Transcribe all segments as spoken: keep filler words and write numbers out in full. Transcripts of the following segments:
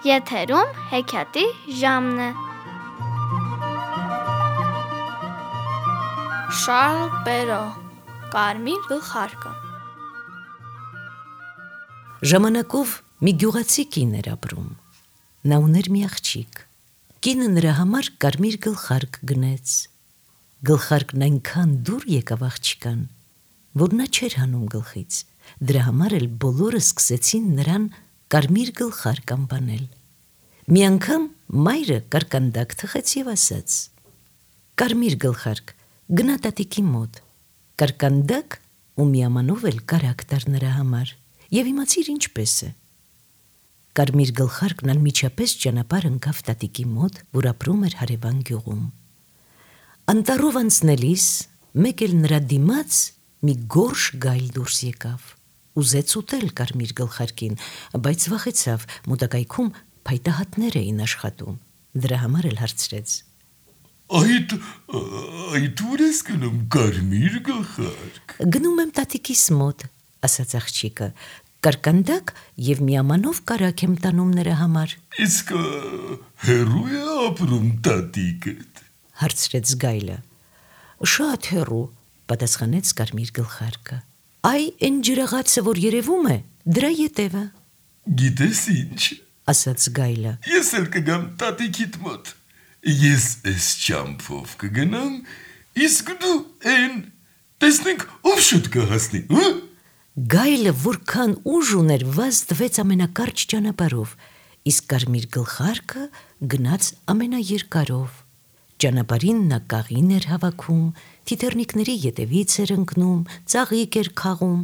Եթերում հեքիաթի ժամն է։ Շարլ Պերո, Կարմիր գլխարկը։ Ժամանակով մի գյուղացի կին էր ապրում։ Նա ուներ մի աղջիկ։ Կինը նրա համար կարմիր գլխարկ գնեց։ Գլխարկն այնքան դուր եկավ աղջկան, որ նա չէր հանում գլխից։ Դրա համար էլ բոլորը սկսեցին նրան կարմիր գլխարկ անվանել։ Մի անգամ մայրը կարկանդակ թխեց և ասաց. «Կարմիր գլխարկ, գնա տատիկի մոտ»։ Կարկանդակ ու միամանով էլ կարագ տար նրա համար և իմացիր ինչպես է։ Կարմիր գլխարկն անմիջապես ճանապարհ ընկավ տատիկի մոտ, որ ապրում էր հարևան գյուղում։ Անտառով անցնելիս մեկ էլ նրա դիմաց մի գորշ գայլ դուրս եկավ։ Ուզեց ուտել կարմիր գլխարկին, բայց վախեցավ, մոտակայքում փայտահատներ էին աշխատում։ Դրա համար էլ հարցրեց. Այդ, այդ ուր ես գնում կարմիր գլխարկ։ Գնում եմ տատիկիս մոտ, ասաց աղջիկը, կարկանդակ և միամանով կարագ եմ տանում նրա համար։ Իսկ հեռու է ապրում տատիկդ, հարցրեց գայլը։ Շատ հեռու, պատասխանեց կարմիր գլխարկը։ Այ այն ջրաղացը, որ երևում է, դրա ետևը։ Գիտես ինչ, ասաց գայլը, ես էլ կգամ տատիկիդ մոտ։ Ես այս ճամփով կգնամ, իսկ դու այն, տեսնենք ով շուտ կհասնի, հա՞։ Գայլը որքան ուժ ուներ, վազ տվեց ամենակարճ ճանապարհով, իսկ կարմիր գլխարկը գնաց ամենաերկարով։ Ճանապարհին նա կաղին էր հավաքում, թիթեռնիկների ետևից էր ընկնում, ծաղիկ էր քաղում։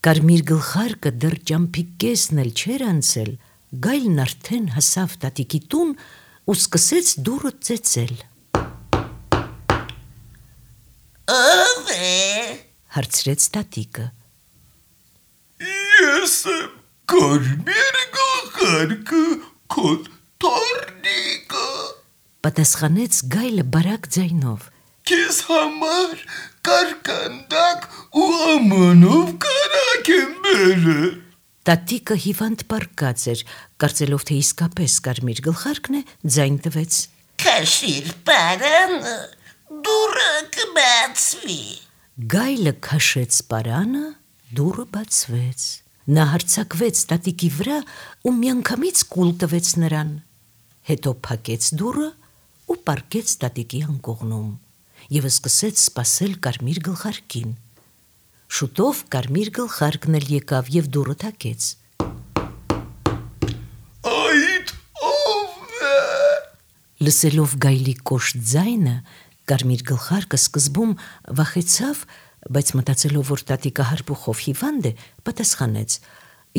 Կարմիր գլխարկը դեռ ճամփի կեսն էլ չէր անցել, գայլն արդեն հասավ տատիկի տուն ու սկսեց դուռը ծեծել։ Ո՞վ է, հարցրեց տատիկը։ Ես եմ կարմիր գլխարկը, քո թոռնիկը, պատասխանեց գայլը բարակ ձայնով։ Քեզ համար կարկանդակ ու ամանով կարագ եմ բերել։ Տատիկը հիվանդ պառկած էր, կարծելով, թե իսկապես կարմիր գլխարկն է, ձայն տվեց. Քաշիր պարանը, դուռը կբացվի։ Գայլը քաշեց պարանը, դուռը բացվեց։ Նա հարձակվեց տատիկի վրա ու միանգամից կուլ տվեց նրան։ Հետո փակեց դուռը ու պառկեց տատիկի անկողնում և սկսեց սպասել կարմիր գլխարկին։ Շուտով կարմիր գլխարկն էլ եկավ և դուռը թակեց։ Այդ ով է։ Լսելով գայլի կոշտ ձայնը, կարմիր գլխարկը սկզբում վախեցավ, բայց մտածելով, որ տատիկը հարբուխով հիվանդ է, պատասխանեց.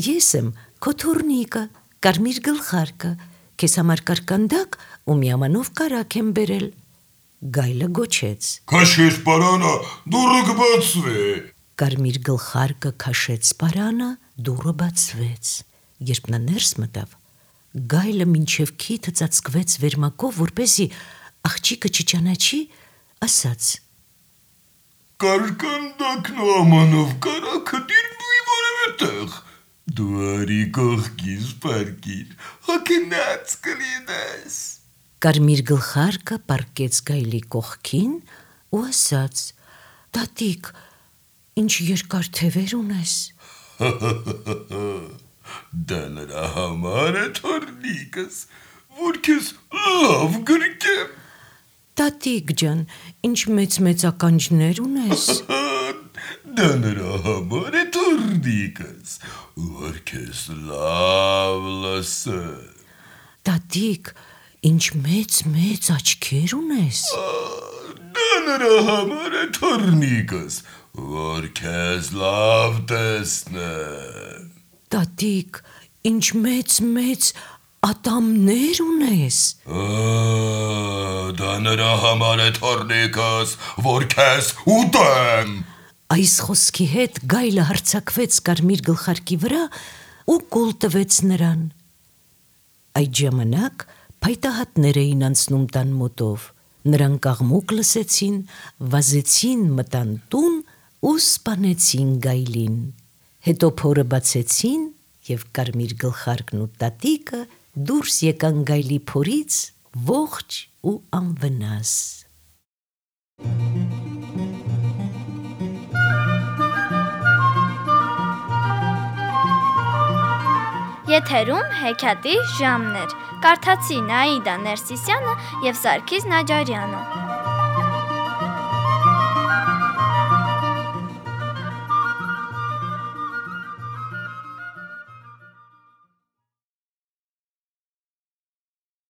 Ես եմ քո թոռնիկը, կարմիր գլխարկը, քեզ համար կարկանդակ ու միամանով կարագ եմ բերել։ Գայլը գոչեց. Քաշիր պարանը, դուռը կբացվի։ Կարմիր գլխարկը քաշեց պարանը, դուռը բացվեց։ Երբ նա ներս մտավ, գայլը մինչև քիթը ծածկվեց վերմակով, որպեսզի աղջիկը չճանաչի, ասաց. Կարկանդակն ու ամանով կարագը դիրնուի որևէ տեղ։ Դու արի կողքից պարկիր, հոգնած կլինես։ Կարմիր գլխարկը պառկեց գայլի կողքին ու ասաց. Տատիկ, ինչ երկար թևեր ունես։ Դա նրա համար է թոռնիկս, որ քեզ լավ գրկեմ։ Տատիկ ջան, ինչ մեծ-մեծ ականջներ ունես։ Դա նրա համար է թոռնիկս, որ քեզ լավ լսեմ։ Տատիկ, ինչ մեծ-մեծ աչքեր ունես։ Դա նրա համար է թոռնիկս, որ քեզ լավ տեսնեմ։ Տատիկ, ինչ մեծ-մեծ ատամներ ունես։ Դա նրա համար է թոռնիկս, որ քեզ ուտեմ։ Այս խոսքի հետ գայլը հարձակվեց կարմիր գլխարկի վրա ու կուլ տվեց նրան։ Այդ ժամանակ փայտահատներ էին անցնում տան մոտով։ Նրանք աղմուկ լսեցին, վազեցին, մտան տուն ու սպանեցին գայլին։ Հետո փորը բացեցին և կարմիր գլխարկն ու տատիկը դուրս եկան գայլի փորից ողջ ու անվնաս։ Եթերում հեքիաթի ժամն էր։ Կարդացի Նաիդա Ներսիսյանը և Սարգիս Նաջարյանը։